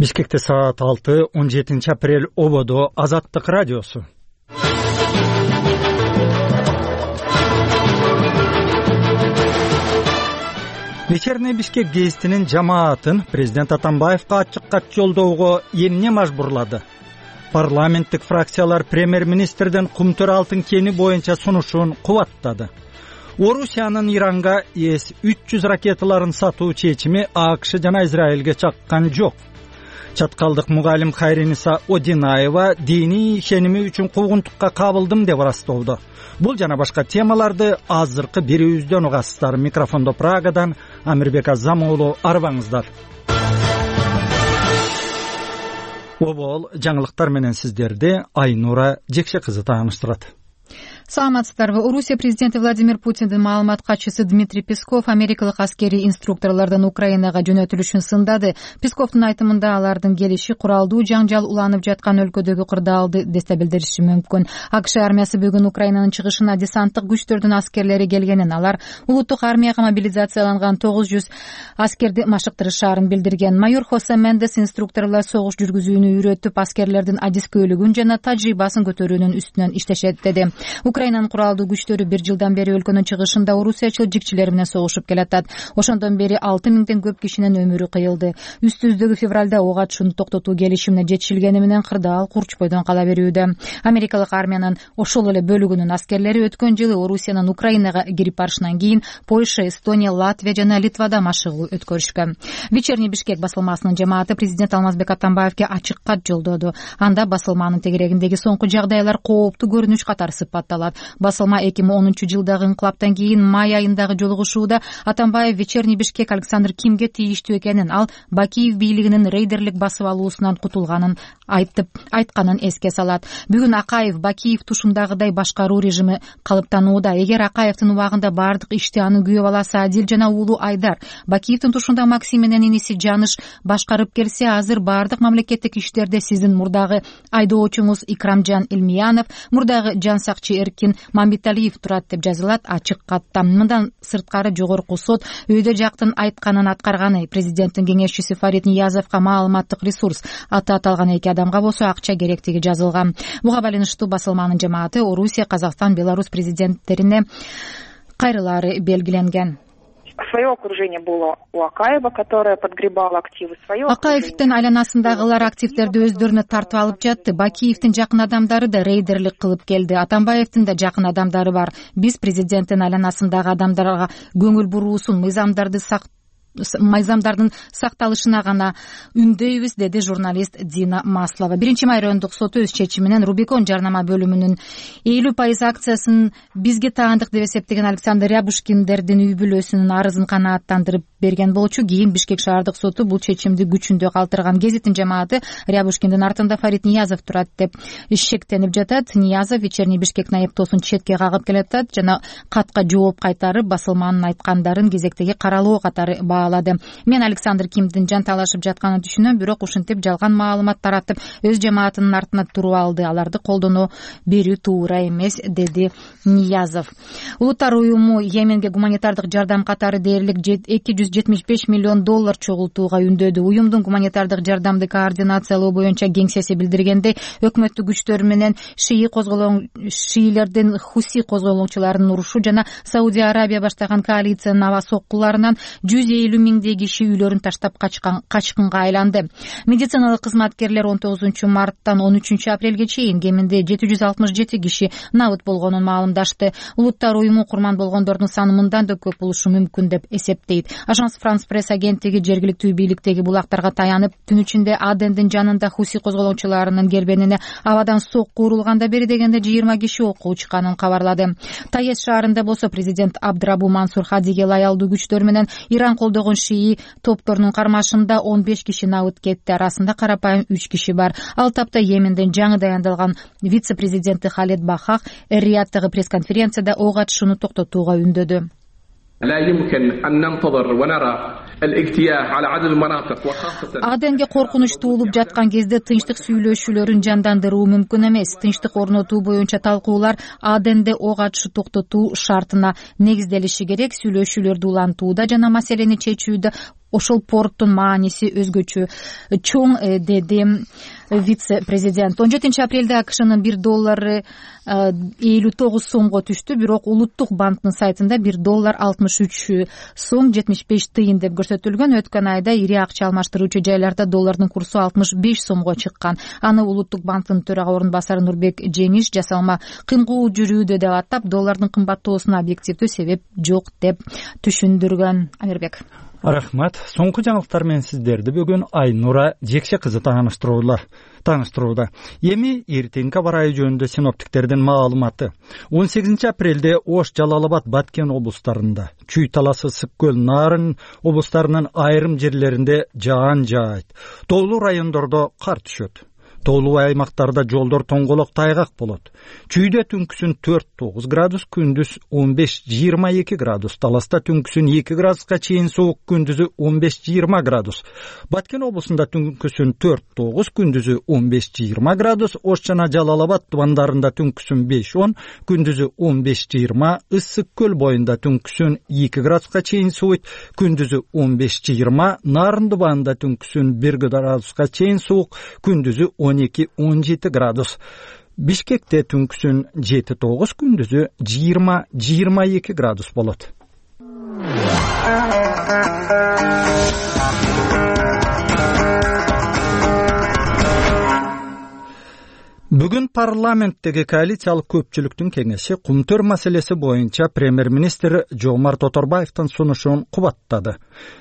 Бишкекте саат 6, 17 апрель ободо Азаттык радиосу. Вечерний Бишкек гезитинин жамаатын президент Атамбаевка ачык кат жолдоого эмне мажбурлады? Парламенттик фракциялар премьер-министрдин Кумтөр алтын кени боюнча сунушун кубаттады. Орусиянын Иранга С-300 ракеталарын сатуу чечими АКШ жана Израилге чаккан жок. Чаткалдык мугалим Хайриниса Одинаева диний ишеними үчүн куугунтукка кабылдым деп ырастоодо. Бул жана башка темаларды азыркы бирибизден угасыздар. Микрофондо Прагадан Амирбек Азамуулу, арбаңыздар. Обол жаңылыктар менен сиздерди Айнура Жекше кызы тааныштырат. Саламатсыздарбы. Орусия президенти Владимир Путиндин маалымат катчысы Дмитрий Песков америкалык аскерий инструкторлордун Украинага жөнөтүлүшүн сындады. Песковдун айтымында алардын келиши куралдуу жаңжал уланып жаткан өлкөдөгү кырдаалды дестабилдеши мүмкүн. АКШ армиясы бүгүн Украинанын чыгышына десанттык күчтөрдүн аскерлери келгенин, алар улуттук армияга мобилизацияланган 900 аскерди машыктырышаарын билдирген. Майор Хосе Мендес инструкторлор согуш жүргүзүүнү үйрөтүп, аскерлердин адискөйлүгүн жана тажрыйбасын көтөрүүнүн үстүнөн иштешет деди. Украинанын куралдуу күчтөрү 1 жылдан бери өлкөнүн чыгышында орусиячыл жикчилер менен согушуп келатат. Ошондон бери 6000ден көп кишинин өмүрү кыйылды. Үстүздөгү февралда ок атышууну токтотуу келишимине жетишилгени менен кырдаал курчпойдон кала берүүдө. Америкалык армиянын ошол эле бөлүгүнүн аскерлери өткөн жылы Орусиянын Украинага кирип барышынан кийин Польша, Эстония, Латвия жана Литвада машыгуу өткөрүшкөн. Вечерний Бишкек басылмасынын жамааты президент Алмазбек Атамбаевге ачык кат жолдоду. Анда басылманын тегерегиндеги соңку жагдайлар кооптуу көрүнүш катары сыпатталат. Басылма 2010-жылдагы инкылаптан кийин май айындагы жолугушууда Атамбаев Вечерний Бишкек Александр Кимге тийиштүү экенин, ал Бакиев бийлигинин рейдерлик басып алуусунан кутулганын айтканын эске салат. Бүгүн Акаев Бакиев тушундагыдай башкаруу режими калыптанууда. Эгер Акаевдин убагында бардык ишти анын күйөө баласы Адил жана уулу Айдар, Бакиевдин тушунда Максим менен иниси Жаныш башкарып келсе, азыр бардык мамлекеттик иштерде сиздин мурдагы айдоочуңуз Икрамжан Илмиянов, мурдагы жансакчы Эркин Мамбеталиев турат деп жазылат ачык катта. Мындан сырткары жогорку сот өйдө жактын айтканын аткарганы. Президенттин кеңешчиси Фарид Ниязовго маалыматтык ресурс аты аталган 2 адамга болсо акча керектиги жазылган. Буга байланыштуу басылманын жамааты Орусия, Казакстан, Беларусь президенттерине кайрылаары белгиленген. Свое окружение было у Акаева, которое подгребало активы. Акаевдин айланасындагылар активдерди өздөрүнө тартып алып жатты. Бакиевдин жакын адамдары да рейдерлик кылып келди. Атамбаевдин да жакын адамдары бар. Биз президенттин айланасындагы адамдарга көңүл буруусун, мыйзамдардын сакталышына гана үндөйбүз, деди журналист Дина Маслова. 1-май райондук соту өз чечиминен Рубикон жарнама бөлүмүнүн 50% акциясын бизге таандык деп эсептеген Александр Рябушкиндердин үй бүлөсүнүн арызын канааттандырып берген болчу. Кийин Бишкек шаардык соту бул чечимди күчүндө калтырган. Гезиттин жамааты Рябушкиндин артында Фарид Ниязов турат деп шектенип жатат. Ниязов Вечерний Бишкектин айыптоосун четке кагып келатат жана катка жооп кайтарып, басылманын айткандарын кезектеги каралоо катары баалады. Мен Александр Кимдин жан талашып жатканын түшүнөм, бирок ушинтип жалган маалымат таратып, өз жамаатынын артына туруп алды. Аларды колдоно берүү туура эмес, деди Ниязов. Улуттар уюму Йеменге гуманитардык жардам катары дээрлик $275 миллион чогултууга үндөдү. Уюмдун гуманитардык жардамды координациялоо боюнча кеңсеси билдиргендей, өкмөттүк күчтөр менен шиилердин Хуси козголоңчуларынын урушу жана Саудия Арабия баштаган коалициянын аба соккуларынан 150 миңдей киши үйлөрүн таштап качкынга айланды. Медициналык кызматкерлер 19 марттан 13 апрелге чейин кеминде 767 киши набыт болгонун маалымдашты. Улуттар уюму курман болгондордун саны мындан да көп болушу мүмкүн деп эсептейт. Ажанс Франс пресс агенттиги жергиликтүү бийликтеги булактарга таянып, түн ичинде Адендин жанында Хуси козголоңчуларынын кербенине абадан сокку урулганда бери дегенде 20 киши окко учканын кабарлады. Таез шаарында болсо президент Абдрабу Мансур Хадиге лаялдуу күчтөр менен Иран колдогон шии топторунун кармашында 15 киши набыт кетти. Арасында карапайым 3 киши бар. Ал тапта Йеменден жаңы даяндалган вице-президенти Халед Бахах Эр-Рияттагы пресс-конференцияда ок атышууну токтотууга үндөдү. Аденге коркунуч туулуп жаткан кезде тынчтык сүйлөшүүлөрүн жандандыруу мүмкүн эмес. Тынчтык орнотуу боюнча талкуулар Аденде ок атышуу токтотуу шартына негизделиши керек. Сүйлөшүүлөрдү улантууда жана маселени чечүүдө ошол порттун мааниси өзгөчө чоң, деди вице президент. 17 апрелде АКШнын $1 59 сомго түштү, бирок улуттук банктын сайтында $1 63 сом 75 тыйын деп көрсөтүлгөн. Өткөн айда ири акча алмаштыруучу жайларда доллардын курсу 65 сомго чыккан. Аны улуттук банктын төрага орун басары Нурбек Жеңиш жасалма кыймгуу жүрүүдө деп атап, доллардын кымбаттоосуна объективдүү себеп жок деп түшүндүргөн. Амирбек. Рахмат. Соңку жаңылыктар менен сиздерди бүгүн Айнура Жекше кызы тааныштырууда. Эми эртеңки аба ырайы жөнүндө синоптиктердин маалыматы. 18 апрелде Ош, Жалал-Абад, Баткен облустарында, Чүй таласы, Ысык көл, Нарын облустарынын айрым жерлеринде жаан жаайт. Тоолуу райондордо кар түшөт. Тоолуу аймактарда жолдор тоңголок, тайгак болот. Чүйдө түнкүсүн 4-9 градус, күндүз 15-22 градус. Таласта түнкүсүн 2 градуска чейин суук, күндүзү 15-20 градус. Баткен облусунда түнкүсүн 4-9, күндүзү 15-20 градус. Ош жана Жалал-Абад тубандарында түнкүсүн 5-10, күндүзү 15-20. Ысык көл боюнда түнкүсүн 2 градуска чейин сууйт, күндүзү 15-20. Нарын тубанында түнкүсүн 1 градуска чейин суук, күндүзү 12-17 градус. Бишкекте түнкүсүн 7-9, күндүзү 20-22 градус болот. Бүгүн парламенттеги коалициялык көпчүлүктүн кеңеши кумтөр маселеси боюнча премьер-министр Жомарт Оторбаевдин сунушун кубаттады.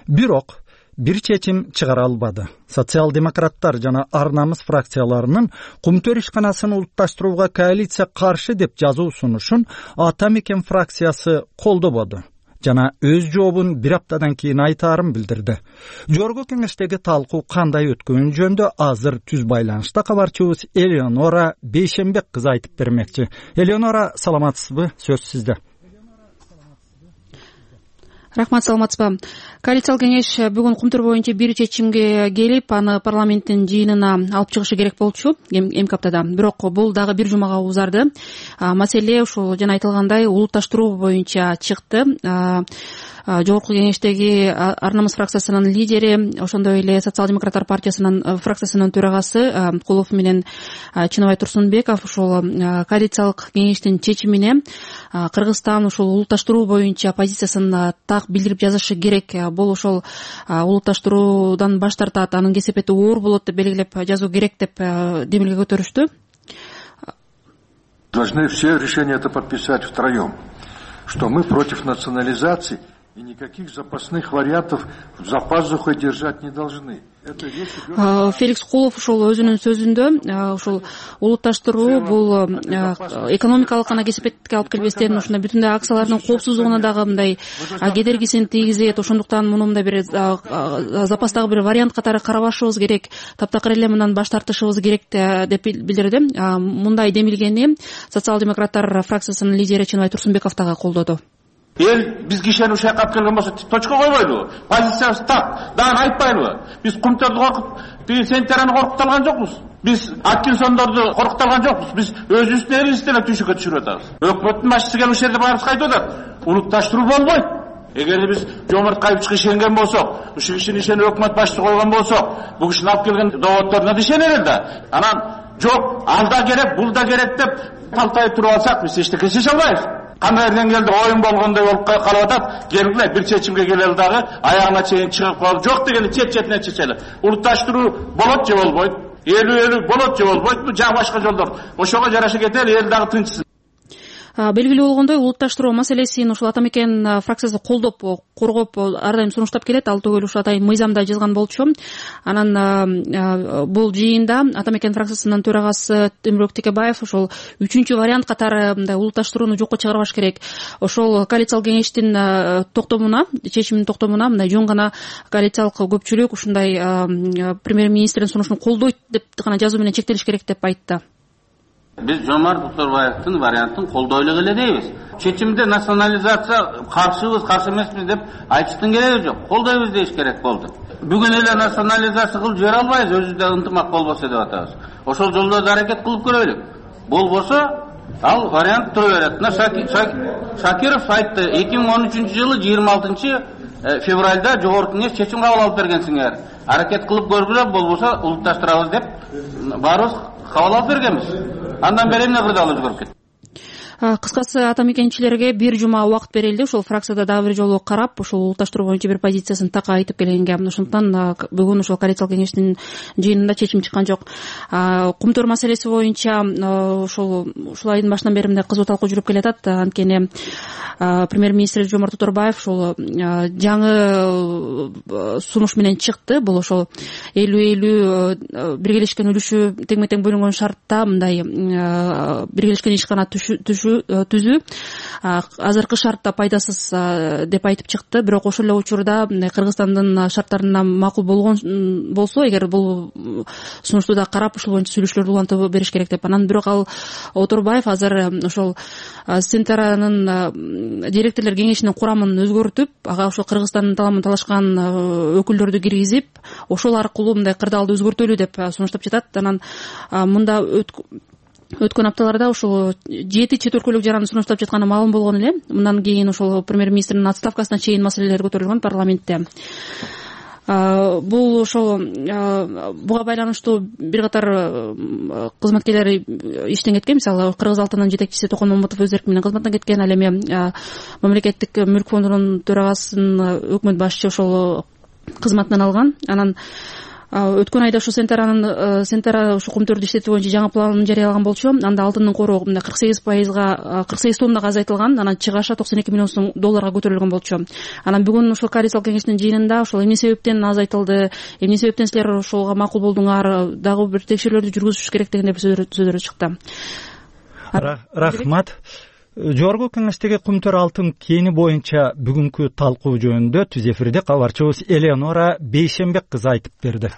Бирок бир чечим чыгара албады. Социал-демократтар жана Ар намыс фракцияларынын кумтөр ишканасын улутташтырууга коалиция каршы деп жазуу сунушун Ата Мекен фракциясы колдободу жана өз жообун бир аптадан кийин айтаарын билдирди. Жогорку кеңештеги талкуу кандай өткөнү жөнүндө азыр түз байланышта кабарчыбыз Элеонора Бейшенбек кызы айтып бермекчи. Элеонора, саламатсызбы? Сөз сизде. Рахмат, саламатсызбы. Коалициялык кеңеш бүгүн кумтөр боюнча бир чечимге келип, аны парламенттин жыйынына алып чыгышы керек болчу эмки аптада. Бирок бул дагы бир жумага узарды. Маселе ушул жана айтылгандай улутташтыруу боюнча чыкты. Жогорку кеңештеги Ар намыс фракциясынын лидери, ошондой эле Социал-демократтар партиясынын фракциясынын төрагасы Кулов менен Чыныбай Турсунбеков ушул коалициялык кеңештин чечимине Кыргызстан ушул улутташтыруу боюнча позициясын так билдирип жазышы керек. Бул ошол улутташтыруудан баш тартат, анын кесепети оор болот деп белгилеп жазуу керек деп демилге көтөрүштү. Должны все решения это подписать втроем, что мы против национализации и никаких запасных вариантов за пазухой держать не должны. Феликс Кулов ушул өзүнүн сөзүндө ушул улутташтыруу бул экономикалык гана кесепетке алып келбестен ушундай бүтүндөй акциялардын коопсуздугуна дагы мындай кедергисин тийгизет. Ошондуктан муну мындай бир запастагы бир вариант катары карабашыбыз керек, таптакыр эле мындан баш тартышыбыз керек деп билдирди. Мындай демилгени Социал-демократтар фракциясынын лидери Чыныбай Турсунбеков дагы колдоду. Эл бизге ишенип ушакка келген болсо точка койбойлубу? Позициябыз так. Дагы айтпайлыбы? Биз кумтөрдү коркуп, Сентераны коркуталган жокпуз. Биз Аткинсондорду коркуталган жокпуз. Биз өзүбүздүн элибизди эле түйшүккө түшүрүп атабыз. Өкмөттүн башчысы келип ушул жерде баарыбызга айтып атат. Улутташтыруу болбойт. Эгер биз Жомарт Кайыпчыга ишенген болсок, ушул кишини ишенип өкмөт башчысы койгон болсок, бул кишинин алып келген доводдоруна да ишенер да. Анан жок, ал да керек, бул да керек деп талтайып туруп алсак, биз эчтеке чече албайбыз. Кандай деңгээлде оюн болгондой болуп калып атат. Келгиле бир чечимге келели дагы аягына чейин чыгып калып, жок дегенде чет-четине чечели. Улутташтыруу болот же болбойт? Элүү болот же болбойт? Бул жана башка жолдор. Ошого жараша кетели, эл дагы тынчсын. Белгилүү болгондой, улутташтыруу маселесин ушул Ата Мекен фракциясы колдоп, коргоп ар дайым сунуштап келет. Ал түгүл ушул атайын мыйзамда жазган болчу. Анан бул жыйында Ата Мекен фракциясынын төрагасы Темирбек Текебаев ушул 3-чү вариант катары мындай улутташтырууну жокко чыгарбаш керек. Ошол коалициялык кеңештин токтомуна, чечимдин токтомуна мындай жөн гана коалициялык көпчүлүк ушундай премьер-министрдин сунушун колдойт деп гана жазуу менен чектелиш керек деп айтты. Biz Жомарт Оторбаевдин вариантын колдойлук эле дейбиз. Чечимде национализация каршыбыз, каршы эмеспиз деп айтыштын кереги жок. Колдойбуз дейиш керек болду. Бүгүн эле национализация кылып жибере албайбыз, өзүбүздө ынтымак болбосо деп атабыз. Ошол жолдордо аракет кылып көрөлүк. Болбосо ал вариант тура берет. Шакиров айтты, 2013-жылы 26 февралда жогорку кеңеш чечим кабыл алып бергенсиңер. Аракет кылып көргүлө, болбосо улутташтырабыз деп баарыбыз кабыл алып бергенбиз. Андан бери эмне кырдаал өзгөрүп кетти? Кыскасы, ата мекенчилерге бир жума убакыт берилди. Ошол фракцияда дагы бир жолу карап, ошол улутташтыруу боюнча бир позициясын так айтып келгенге. Ошондуктан бүгүн ошол коалициялык кеңештин жыйынында чечим чыккан жок. Кумтөр маселеси боюнча ушул айдын башынан бери мындай кызуу талкуу жүрүп келатат. Анткени премьер-министр Жомарт Оторбаев ошол жаңы сунуш менен чыкты. Бул ошол 50-50 биргелешкен үлүшү тең-тең бөлүнгөн шартта мындай биргелешкен ишкана түзүү азыркы шартта пайдасыз деп айтып чыкты. Бирок ошол эле учурда Кыргызстандын шарттарына макул болгон болсо, эгер бул сунушту да карап ушул боюнча сүйлөшүүлөрдү улантып бериш керек деп. Анан бирок ал Оторбаев азыр ошол Сентеранын директорлор кеңешинин курамын өзгөртүп, ага ошол Кыргызстандын таламын талашкан өкүлдөрдү киргизип, ошол аркылуу мындай кырдаалды өзгөртөлү деп сунуштап жатат. Анан мында өткөн апталарда ошол 7 чет өлкөлүк жараны сунуштап жатканы маалым болгон эле. Мындан кийин ошол премьер-министрдин отставкасына чейин маселелер көтөрүлгөн парламентте. Бул ошол буга байланыштуу бир катар кызматкерлер иштен кеткен. Мисалы, Кыргыз алтынынын жетекчиси Токон Момутов өз эрки менен кызматтан кеткен. Ал эми мамлекеттик мүлк фондунун төрагасын өкмөт башчы ошол кызматынан алган. Анан өткөн айда ушу Сентера ушу кумтөрдү иштетүү боюнча жаңы планын жарыялаган болчу. Анда алтындын кору 48% тоннага азайтылган. Анан чыгаша $92 миллион көтөрүлгөн болчу. Анан бүгүн ушул коалициялык кеңештин жыйынында ошол эмне себептен азайтылды, эмне себептен силер ошолго макул болдуңар, дагы бир текшерүүлөрдү жүргүзүш керек деген сөздөр чыкты. Рахмат. Жогорку кеңештеги кумтөр алтын кени боюнча бүгүнкү талкуу жөнүндө түз эфирде кабарчыбыз Элеонора Бейшенбек кызы айтып берди.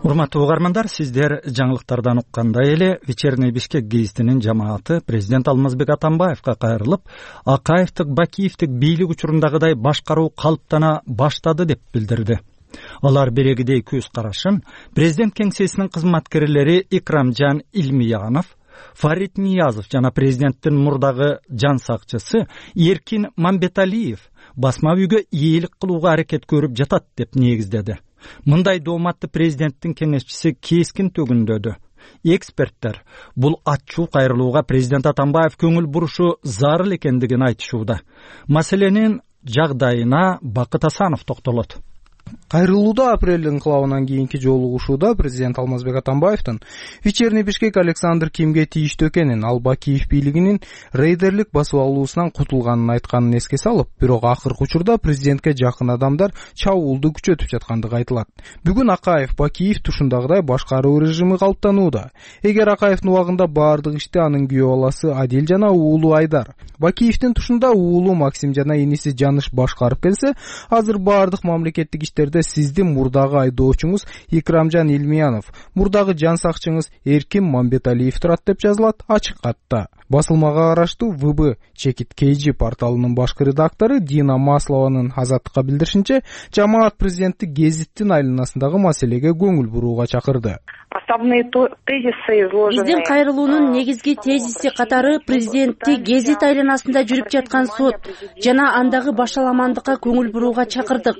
Урматтуу угармандар, сиздер жаңылыктардан уккандай эле Вечерний Бишкек гезитинин жамааты президент Алмазбек Атамбаевка кайрылып, Акаевдик, Бакиевдик бийлик учурундагыдай башкаруу калыптана баштады деп билдирди. Алар берегидей көз карашын президент кеңсесинин кызматкерлери Икрамжан Илмиянов, Фарид Ниязов жана президенттин мурдагы жан сакчысы Эркин Мамбеталиев басма үйгө ийгилик кылууга аракет көрүп жатат деп негиздеди. Мындай дооматты президенттин кеңешчиси кескин төгүндөдү. Эксперттер бул ачуу кайрылууга президент Атамбаев көңүл бурушу зарыл экендигин айтышууда. Маселенин жагдайына Бакыт Асанов токтолот. Кайрылууда апрель инкылабынан кийинки жолугушууда президент Алмазбек Атамбаевдин Вечерний Бишкек Александр Кимге тийиштүү экенин, ал Бакиев бийлигинин рейдерлик басып алуусунан кутулганын айтканын эске салып, бирок акыркы учурда президентке жакын адамдар чабуулду күчөтүп жаткандыгы айтылат. Бүгүн Акаев, Бакиев тушундагыдай башкаруу режими калыптанууда. Эгер Акаевдин убагында баардык ишти анын күйөө баласы Адил жана уулу Айдар, Бакиевдин тушунда уулу Максим жана иниси Жаныш башкарып келсе, азыр баардык мамлекеттик иштерде сиздин мурдагы айдоочуңуз Икрамжан Илмиянов, мурдагы жан сакчыңыз Эркин Мамбеталиев турат деп жазылат ачык катта. Басылмага караштуу ВБ Чекит KG порталынын башкы редактору Дина Маслованын Азаттыкка билдиришинче, жамаат президентти гезиттин айланасындагы маселеге көңүл бурууга чакырды. Биздин кайрылуунун негизги тезиси катары президентти гезит айланасында жүрүп жаткан сот жана андагы башаламандыкка көңүл бурууга чакырдык.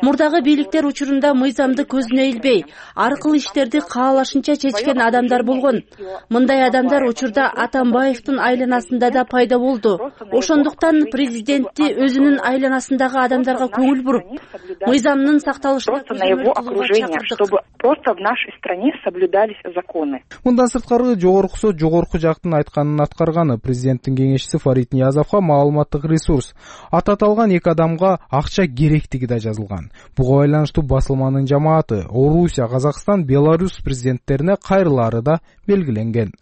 Мурдагы бийликтер учурунда мыйзамды көзүнө илбей, ар кыл иштерди каалашынча чечкен адамдар болгон. Мындай адамдар учурда Атамбаевдин айланасында да пайда болду. Ошондуктан президентти өзүнүн айланасындагы адамдарга көңүл буруп, мыйзамдын сакталышына просто в нашей стране соблюдались законы. Мындан сырткары жогорку жактын айтканын аткарганы президенттин кеңешчиси Фарид Ниязовго маалыматтык ресурс аталган эки адамга акча керектиги да жазылган. Буга байланыштуу басылманын жамааты Орусия, Казакстан, Беларусь президенттерине кайрылары да белгиленген.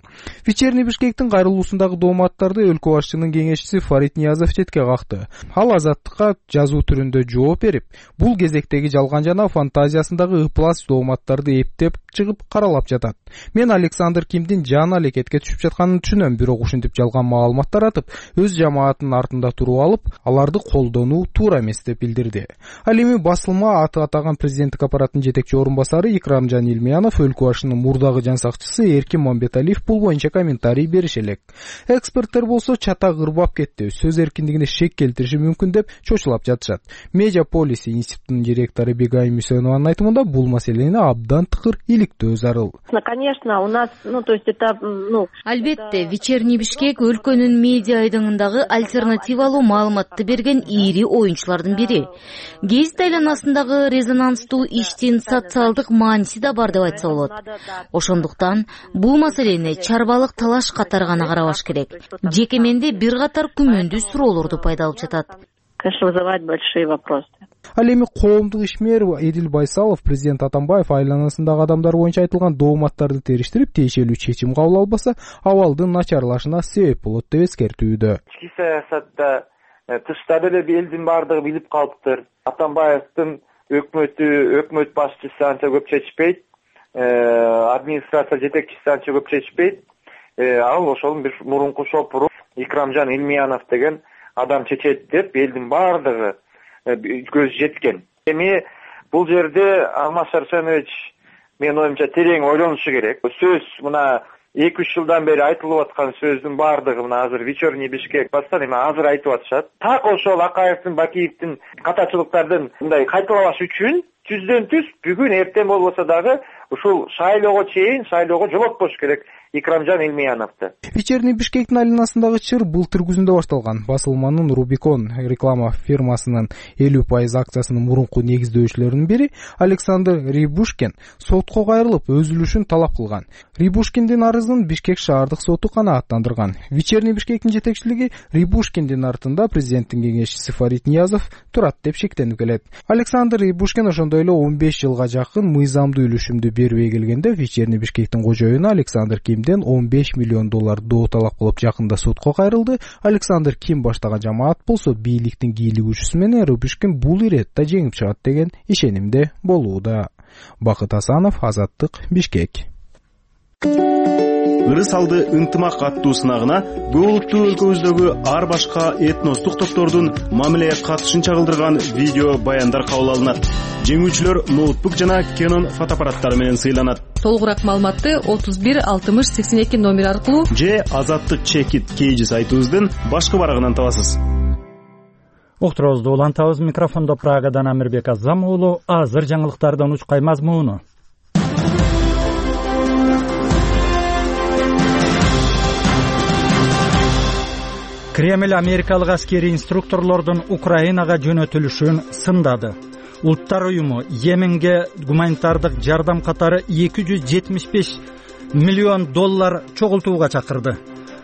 Вечерний Бишкектин кайрылуусундагы дооматтарды өлкө башчынын кеңешчиси Фарид Ниязов четке какты. Ал Азаттыкка жазуу түрүндө жооп берип, бул кезектеги жалган жана фантазиясындагы ыплас дооматтар маалыматтарды эптеп чыгып каралап жатат. Мен Александр Кимдин жан алекетке түшүп жатканын түшүнөм, бирок ушинтип жалган маалымат таратып, өз жамаатынын артында туруп алып, аларды колдонуу туура эмес деп билдирди. Ал эми басылма аты атаган президенттик аппараттын жетекчи орун басары Икрамжан Илмиянов, өлкө башынын мурдагы жан сакчысы Эркин Мамбеталиев бул боюнча комментарий бериш элек. Эксперттер болсо чата ырбап кетти, сөз эркиндигине шек келтириши мүмкүн деп чочулап жатышат. Медиаполис институтунун директору Бегай Мусенованын айтымында бул маселени абдан тыкыр иликтөө зарыл. Конечно, у нас, то есть это, Албетте, Вечерний Бишкек өлкөнүн медиа айдыңындагы альтернативалуу маалыматты берген ири оюнчулардын бири. Гезит айланасындагы резонанстуу иштин социалдык мааниси да бар деп айтса болот. Ошондуктан бул маселени чарбалык талаш катары гана карабаш керек. Жеке менде бир катар күмөндүү суроолорду пайда алып жатат. Конечно, вызывает большие вопросы. Ал эми коомдук ишмер Эдил Байсалов президент Атамбаев айланасындагы адамдар боюнча айтылган дооматтарды териштирип, тиешелүү чечим кабыл албаса, абалдын начарлашына себеп болот деп эскертүүдө. Ички саясатта тышта деле элдин баардыгы билип калыптыр. Атамбаевдин өкмөт башчысы анча көп чечпейт, администрация жетекчиси анча көп чечпейт. Ал ошонун бир мурунку шопуру Икрамжан Илмиянов деген адам чечет деп элдин баардыгы көз жеткен. Эми бул жерде Алмаз Шаршенович менин оюмча терең ойлонушу керек. Сөз мына 2-3 жылдан бери айтылып аткан сөздүн баардыгы мына азыр Вечерний Бишкек бастан эми азыр айтып атышат. Так ошол Акаевдин, Бакиевдин катачылыктардын мындай кайталабаш үчүн түздөн-түз бүгүн эртең болбосо дагы ушул шайлоого жолотпош керек Икрамжан Илмияновду. Вечерний Бишкектин айланасындагы чыр былтыр күзүндө башталган. Басылманын Рубикон реклама фирмасынын 50% акциясынын мурунку негиздөөчүлөрүнүн бири Александр Рябушкин сотко кайрылып, өз үлүшүн талап кылган. Рябушкиндин арызын Бишкек шаардык соту канааттандырган. Вечерний Бишкектин жетекчилиги Рябушкиндин артында президенттин кеңешчиси Фарид Ниязов турат деп шектенип келет. Александр Рябушкин ошондой эле 15 жылга жакын мыйзамдуу үлүшүмдү бербей келгенде Вечерний Бишкектин кожоюну Александр Кимден $15 миллион доо талап кылып жакында сотко кайрылды. Александр Ким баштаган жамаат болсо бийликтин кийлик күчүсү менен Рябушкин бул иретте жеңип чыгат деген ишенимде болууда. Бакыт Асанов, Азаттык, Бишкек. Ырыс алды ынтымак аттуу сынагына көп улуттуу өлкөбүздөгү ар башка этностук топтордун мамилеге катышын чагылдырган видео баяндар кабыл алынат. Жеңүүчүлөр ноутбук жана Canon фотоаппараттары менен сыйланат. Толугураак маалыматты 31 60 82 номер аркылуу же Азаттык Чекит кейжи сайтыбыздын башкы барагынан табасыз. Уктуруубузду улантабыз. Микрофондо Прагадан Амирбек Азам уулу. Азыр жаңылыктардын учкай мазмуну. Кремль америкалык аскерий инструкторлордун Украинага жөнөтүлүшүн сындады. Улуттар уюму Йеменге гуманитардык жардам катары $275 миллион чогултууга чакырды.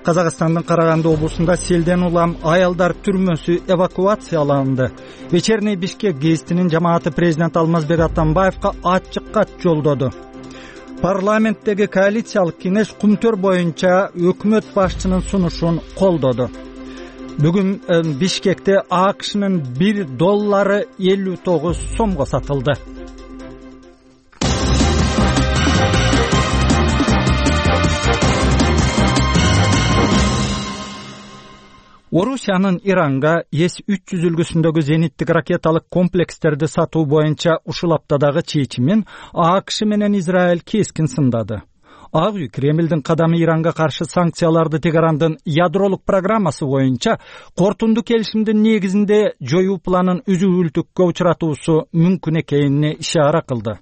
Казакстандын Караганды облусунда селден улам аялдар түрмөсү эвакуацияланды. Вечерний Бишкек гезитинин жамааты президент Алмазбек Атамбаевка ачык кат жолдоду. Парламенттеги коалициялык кеңеш кумтөр боюнча өкмөт башчынын сунушун колдоду. Бүгүн Бишкекте АКШнын $1 59 сомго сатылды. Орусиянын Иранга С-300 үлгүсүндөгү зениттик ракеталык комплекстерди сатуу боюнча ушул аптадагы чечимин АКШ менен Израиль кескин сындады. Ак үй Кремлдин кадамы Иранга каршы санкцияларды Теherandын ядролук программасы боюнча кортундуу келишимдин негизинде жоюу планын үзүүлтүккө учуратуусу мүмкүн экенине ишара кылды.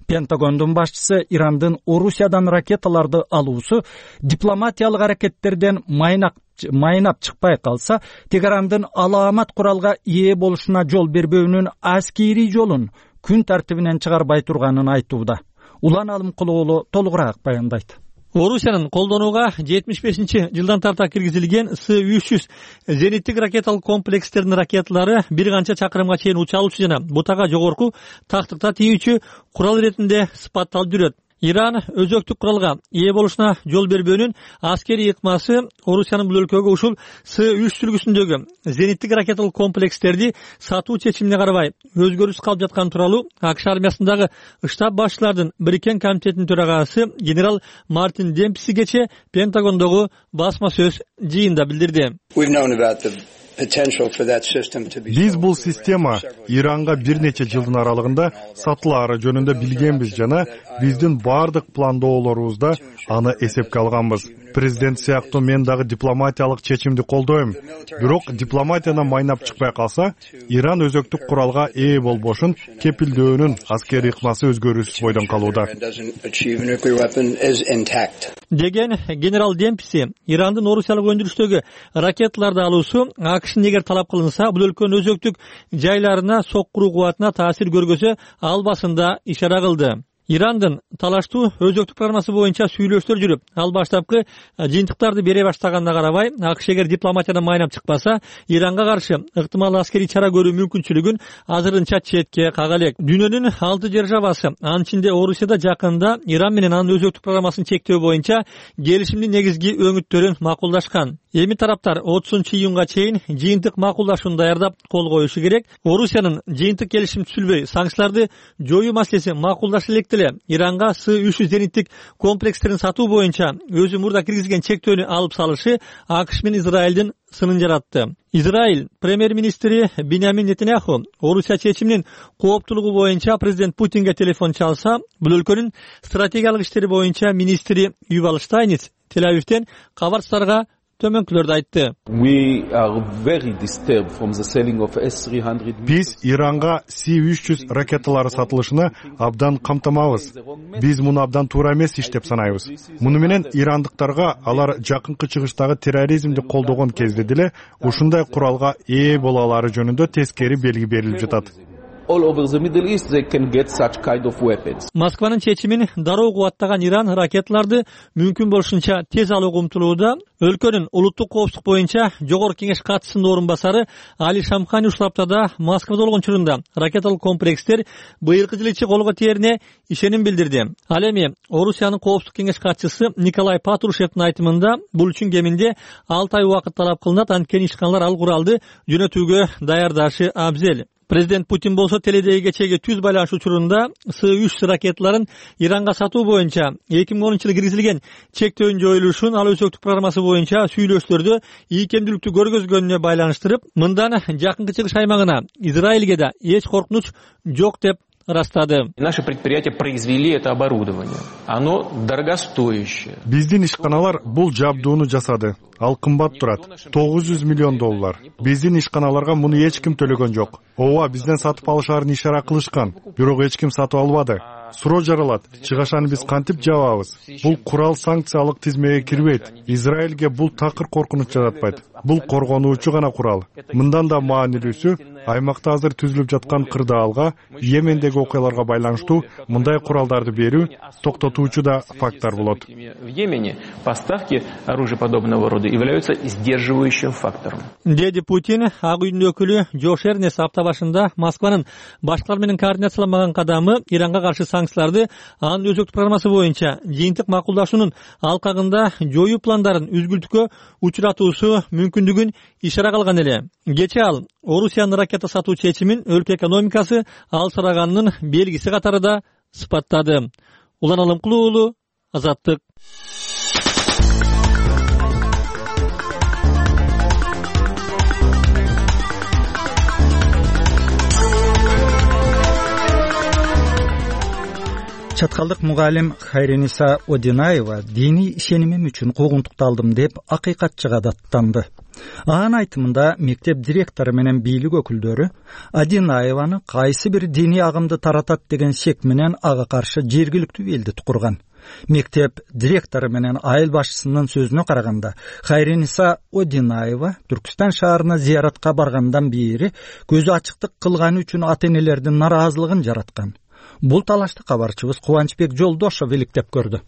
Пентагондун башчысы Ирандын Орусиядан ракеталарды алуусу дипломатиялык аракеттерден майнап чыкпай калса, Теherandын алаамат куралга ээ болушуна жол бербөөнүн аскерий жолун күн тартибинен чыгарбай турганын айтууда. Улан Алымкулы уулу толугураак баяндайт. Орусиянын колдонууга 75-жылдан тарта киргизилген С-300 зениттик ракеталык комплекстердин ракеталары бир канча чакырымга чейин уча алуучу жана бутага жогорку тактыкта тийүүчү курал иретинде сыпатталып жүрөт. Иран өзөктүк куралга ээ болушуна жол бербөөнүн аскерий ыкмасы Орусиянын бул өлкөгө ушул С-3 сүлгүсүндөгү зениттик ракеталык комплекстерди сатуу чечимине карабай өзгөрүш калып жатканы тууралуу АКШ армиясындагы штаб башчылардын бириккен комитетинин төрагасы генерал Мартин Демпси кечээ Пентагондогу басма сөз жыйында билдирди. Биз бул система Иранга бир нече жылдын аралыгында сатылаары жөнүндө билгенбиз жана биздин баардык пландоолорубузда аны эсепке алганбыз. Президент сыяктуу мен дагы дипломатиялык чечимди колдойм. Бирок дипломатиядан майнап чыкпай калса, Иран өзөктүк куралга ээ болбошун кепилдөөнүн аскерий ыкмасы өзгөрүүсүз бойдон калууда. Деген генерал Демпси, Ирандын Орусиялык өндүрүштөгү ракеталарды алуусу АКШнын эгер талап кылынса, бул өлкөнүн өзөктүк жайларына соккуруу кубатына таасир көргөзө албасында ишара кылды. Ирандын талаштуу өзөктүк программасы боюнча сүйлөштөр жүрүп, ал баштапкы жыйынтыктарды бере баштаганына карабай, АКШ эгер дипломатиядан майнап чыкпаса, Иранга каршы ыктымал аскерий чара көрүү мүмкүнчүлүгүн азырынча четке кага элек. Дүйнөнүн 6 державасы, анын ичинде Орусия да жакында Иран менен анын өзөктүк программасын чектөө боюнча келишимдин негизги өңүттөрүн макулдашкан. Эми тараптар 30-июнга чейин жыйынтык макулдашууну даярдап кол коюшу керек. Орусиянын жыйынтык келишим түзүлбөй, санкцияларды жоюу маселеси макулдаша элек деле Иранга С-3 зениттик комплекстерин сатуу боюнча өзү мурда киргизген чектөөнү алып салышы АКШ менен Израилдин сынын жаратты. Израиль премьер-министри Биньямин Нетаньяху Орусия чечиминин кооптуулугу боюнча президент Путинге телефон чалса, бул өлкөнүн стратегиялык иштери боюнча министри Ювал Штайниц Тель-Авивден кабарчыларга төмөнкүлөрдү айтты. Биз Иранга С-300 ракеталары сатылышына абдан камтамабыз. Биз муну абдан туура эмес иш деп санайбыз. Муну менен ирандыктарга алар жакынкы чыгыштагы терроризмди колдогон кезде деле ушундай куралга ээ боло алары жөнүндө тескери белги берилип жатат. Москванын чечимин дароо кубаттаган Иран ракеталарды мүмкүн болушунча тез алууга умтулууда. Өлкөнүн улуттук коопсуздук боюнча жогорку кеңеш катчысынын орун басары Али Шамхани ушул аптада Москвада болгон учурунда ракеталык комплекстер быйылкы жыл ичи колго тиерине ишеним билдирди. Ал эми Орусиянын коопсуздук кеңеш катчысы Николай Патрушевдин айтымында бул үчүн кеминде 6 ай убакыт талап кылынат, анткени ишканалар ал куралды жөнөтүүгө даярдашы абзел. Президент Путин болсо теледеги кечеги түз байланыш учурунда С-3 ракеталарын Иранга сатуу боюнча 2010-жылы киргизилген чектөөнүн жоюлушун ал өзөктүк программасы боюнча сүйлөштөрдө ийкемдүүлүктү көргөзгөнүнө байланыштырып, мындан жакынкы чыгыш аймагына Израилге да эч коркунуч жок деп ырастады. Наши предприятия произвели это оборудование. Оно дорогостоящее. Биздин ишканалар бул жабдууну жасады. Ал кымбат турат. $900 миллион. Биздин ишканаларга муну эч ким төлөгөн жок. Ооба, бизден сатып алышаарын ишара кылышкан, бирок эч ким сатып албады. Суроо жаралат. Чыгашаны биз кантип жабабыз? Бул курал санкциялык тизмеге кирбейт. Израилге бул такыр коркунуч жаратпайт. Бул коргонуучу гана курал. Мындан да маанилүүсү, аймакта азыр түзүлүп жаткан кырдаалга, Йемендеги окуяларга байланыштуу мындай куралдарды берүү токтотуучу да фактор болот. В Йемене поставки оружия подобного рода являются сдерживающим фактором. Деди Путин Ак үйдүн өкүлү Жош Эрнес апта башында Москванын башкалар менен координацияланбаган кадамы Иранга каршы санкцияларды анын өзөктүк программасы боюнча жыйынтык макулдашуунун алкагында жоюу пландарын үзгүлтүккө учуратуусу мүмкүндүгүн ишара кылган эле. Кечээ ал Орусиянын ракета сатуу чечимин өлкө экономикасы алсыраганынын белгиси катары да сыпаттады. Улан Алымкулуу уулу, Азаттык. Чаткалдык мугалим Хайриниса Одинаева диний ишенимим үчүн куугунтукталдым деп акыйкатчыга даттанды. Анын айтымында мектеп директору менен бийлик өкүлдөрү Одинаеваны кайсы бир диний агымды таратат деген шек менен ага каршы жергиликтүү элдик курган. Мектеп директору менен айыл башчысынын сөзүнө караганда, Хайриниса Одинаева Түркүстан шаарына зыяратка баргандан бери көзү ачыктык кылганы үчүн ата-энелердин нараазылыгын жараткан. Бул талашты кабарчыбыз Кубанычбек Жолдошов иликтеп көрдү.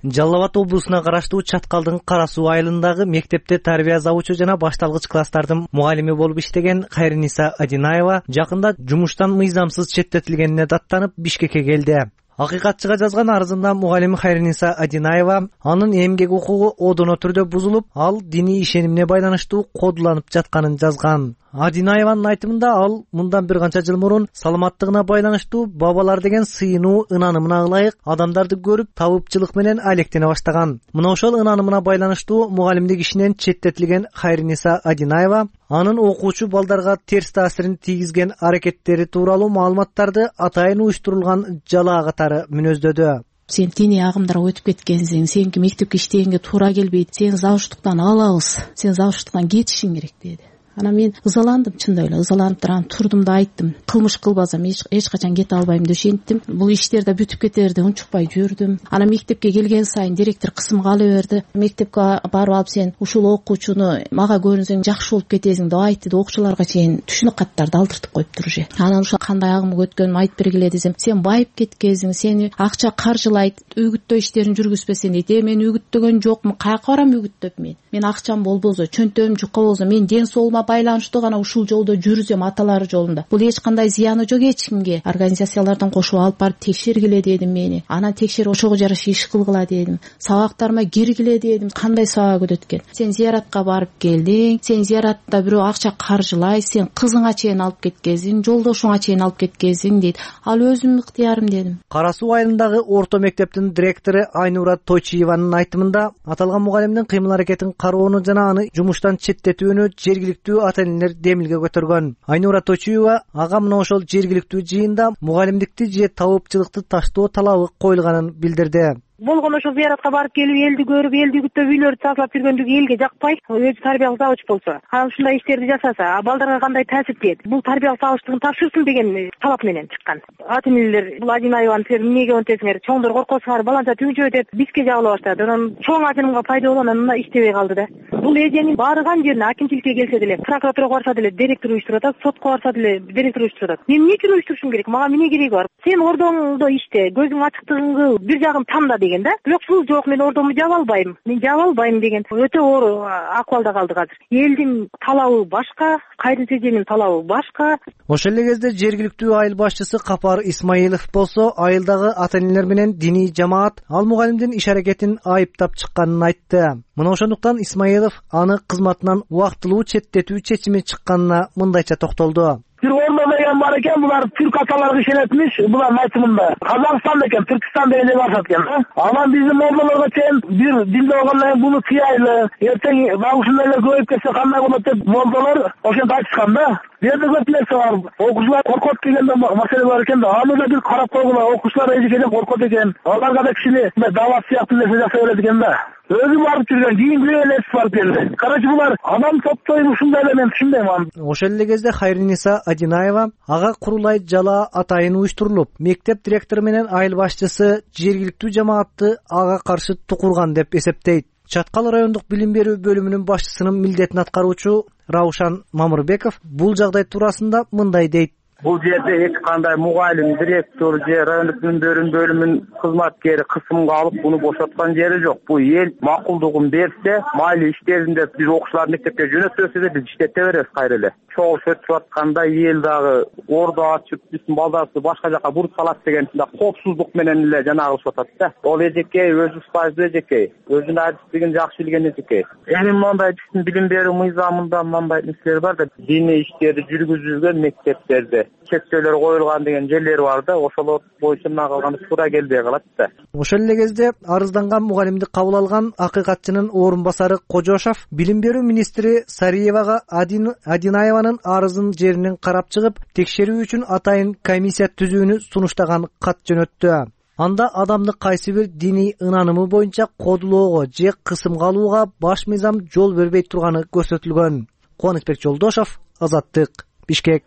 Жалал Абад облусуна караштуу Чаткалдын Кара Суу айылындагы мектепте тарбия завучу жана башталгыч класстардын мугалими болуп иштеген Хайриниса Одинаева жакында жумуштан мыйзамсыз четтетилгенине даттанып Бишкекке келди. Акыйкатчыга жазган арызында мугалим Хайриниса Адинаева анын эмгек укугу одоно түрдө бузулуп, ал диний ишенимине байланыштуу кодуланып жатканын жазган. Адинаеванын айтымында ал мындан бир канча жыл мурун саламаттыгына байланыштуу бабалар деген сыйынуу ынанымына ылайык адамдарды көрүп табыпчылык менен алектене баштаган. Мына ошол ынанымына байланыштуу мугалимдик ишинен четтетилген Хайриниса Адинаева анын окуучу балдарга терс таасирин тийгизген аракеттери тууралуу маалыматтарды атайын уюштурулган жалаа катары мүнөздөдү. Сен диний агымдарга өтүп кеткенсиң, сеники мектепке иштегенге туура келбейт, сени завуштуктан алабыз, сен завуштуктан кетишиң керек деди. Ана мен ызаландым, чындап эле ызаланып турам, турдум да айттым. Кылмыш кылбасам эч качан кете албайм деп ишенттим. Бул иштер да бүтүп кетер деп унчукпай жүрдүм. Ана мектепке келген сайын директор кысымга ала берди. Мектепке барып алып сен ушул окуучуну мага көрүнсөң жакшы болуп кетесиң деп айтты да окуучуларга чейин түшүнүк каттарды алдыртып коюптур же. Анан ушул кандай агым өткөнүн айтып бергиле десем, сен байып кеткенсиң, сени акча каржылайт, үгүттөө иштерин жүргүзбесең дейт. Мен үгүттөгөн жокмун, каяка барам үгүттөп мен? Мен акчам болбосо, чөнтөгүм жука болсо, мен ден соолугума байланыштуу гана ушул жолдо жүрүзөм, аталары жолунда. Бул эч кандай зыяны жок эч кимге. Организациялардан кошуп алып барып текшергиле дедим мени. Анан текшерип ошого жараша иш кылгыла дедим. Сабактарыма киргиле дедим. Кандай сабак өтөт экен? Сен зияратка барып келдиң, сен зияратта бирөө акча каржылай, сен кызыңа чейин алып кеткенсиң, жолдошуңа чейин алып кеткенсиң дейт. Ал өзүмдүн ыктыярым дедим. Кара Суу айылындагы орто мектептин директору Айнура Тойчиеванын айтымында аталган мугалимдин кыймыл аракетин кароону жана аны жумуштан четтетүүнү жергиликтүү ата-энелер демилге көтөргөн. Айнура Тойчиева ага мына ошол жергиликтүү жыйында мугалимдикти же табыпчылыкты таштоо талабы коюлганын билдирди. Болгон ошо зыяратка барып келип, элди көрүп, элди күтүп, үйлөрдү тазалап жүргөндүгү элге жакпай, өзү тарбиялык завуч болсо, анан ушундай иштерди жасаса, балдарга кандай таасир тиет? Бул тарбиялык завучтугун тапшырсын деген талап менен чыккан. Ата-энелер бул Адинаеваны силер эмнеге өнтесиңер? Чоңдор коркосуңар, баланча түгүнчө деп бизге жабыла баштады. Анан чоң ажырымга пайда болгон, анан иштебей калды да. Бул эженин баарыган жерине акимчиликке келсе деле, прокуратурага барса деле директор уюштуруп атат, сотко барса деле директор уюштуруп атат. Мен эмне үчүн уюштурушум керек? Мага эмне кереги бар? Сен ордоңдо иште, көзүң ачыктыгыңды бир жагын тамда деген да. Бирок жок, мен ордому жаба албайм. Мен жаба албайм деген өтө оор акыбалда калдык азыр. Элдин талабы башка, Кайрын эженин талабы башка. Ошол эле кезде жергиликтүү айыл башчысы Капар Исмаилов болсо айылдагы ата-энелер менен диний жамаат ал мугалимдин иш аракетин айыптап чыкканын айтты. Мына ошондуктан Исмаилов аны кызматынан убактылуу четтетүү чечими чыкканына мындайча токтолду. Бир ордо деген бар экен, булар түрк аталарга ишенетмиш, булардын айтымында. Казакстан экен, Түркстан дегенде барышат экен. Анан биздин молдолорго чейин бир дилде болгондон кийин буну тыялы, эртең дагы ушундайлар көбөйүп кетсе кандай болот деп молдолор ошентип айтышкан да. Бирде көп нерсе бар. Окуучулар коркот дегенде маселе бар экен да. Аны да бир карап койгула, окуучулар эжекеден коркот экен. Аларга да кичине дават сыяктуу нерсе жасай берет экен да. Өзү барып жүргөн, кийин элес барып келди. Короче, булар адам топтойм ушундай эле, мен түшүнбөйм аны. Ошол эле кезде Хайриниса Адинаева ага курулай жалаа атайын уюштурулуп, мектеп директору менен айыл башчысы жергиликтүү жамаатты ага каршы тукурган деп эсептейт. Чаткал райондук билим берүү бөлүмүнүн башчысынын милдетин аткаруучу Раушан Мамырбеков бул жагдай туурасында мындай дейт. Бул жерде эч кандай мугалим, директор же райондук билим берүү бөлүмүнүн кызматкери кысымга алып буну бошоткон жери жок. Бул эл макулдугун берсе, майли иштеринде биз окуучуларды мектепке жөнөтөбүз да биз иштете беребиз кайра эле. Чогулуш өтүп атканда эл дагы ордо ачып, биздин балдарыбызды башка жака буруп салат деген да коопсуздук менен эле жанагы кылышып атат да. Ол эжекей өзү устазы эжекей, өзүнүн адистигин жакшы билген эжекей. Эми мындай биздин билим берүү мыйзамында мындай нерселер бар да, диний иштерди жүргүзүлгөн мектептерде чектөөлөр коюлган деген жерлер бар да, ошолор боюнча мына калганы туура келбей калат да. Ошол эле кезде арызданган мугалимди кабыл алган акыйкатчынын орун басары Кожошов билим берүү министри Сариевага Адинаеванын арызын жеринен карап чыгып, текшерүү үчүн атайын комиссия түзүүнү сунуштаган кат жөнөттү. Анда адамды кайсы бир диний ынанымы боюнча кодулоого же кысымга алууга баш мыйзам жол бербей турганы көрсөтүлгөн. Кубанычбек Жолдошов, Азаттык, Бишкек.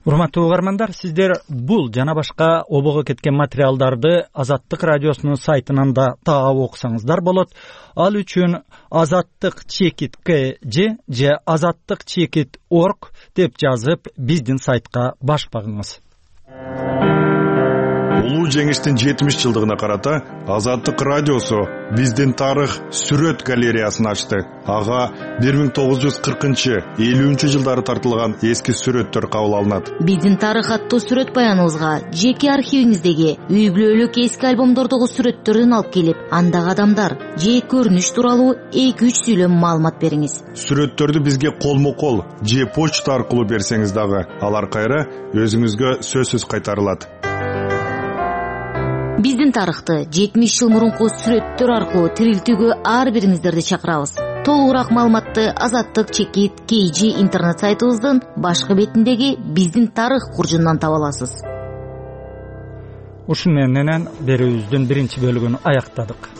Урматтуу угармандар, сиздер бул жана башка обого кеткен материалдарды Азаттык радиосунун сайтынан да таап окусаңыздар болот. Ал үчүн azattik.kg же azattik.org деп жазып биздин сайтка баш багыңыз. Улуу жеңиштин 70 жылдыгына карата Азаттык радиосу биздин тарых сүрөт галереясын ачты. Ага 1940-50 жылдары тартылган эски сүрөттөр кабыл алынат. Биздин тарых аттуу сүрөт баяныбызга жеке архивиңиздеги үй бүлөлүк эски альбомдордогу сүрөттөрдөн алып келип, андагы адамдар же көрүнүш тууралуу 2-3 сүйлөм маалымат бериңиз. Сүрөттөрдү бизге колмо-кол же почта аркылуу берсеңиз дагы, алар кайра өзүңүзгө сөзсүз кайтарылат. Биздин тарыхты 70 жыл мурунку сүрөттөр аркылуу тирилтүүгө ар бириңиздерди чакырабыз. Толугураак маалыматты Азаттык чекит KG интернет сайтыбыздын башкы бетиндеги биздин тарых куржундан таба аласыз. Ушун менен берүүбүздүн биринчи бөлүгүн аяктадык.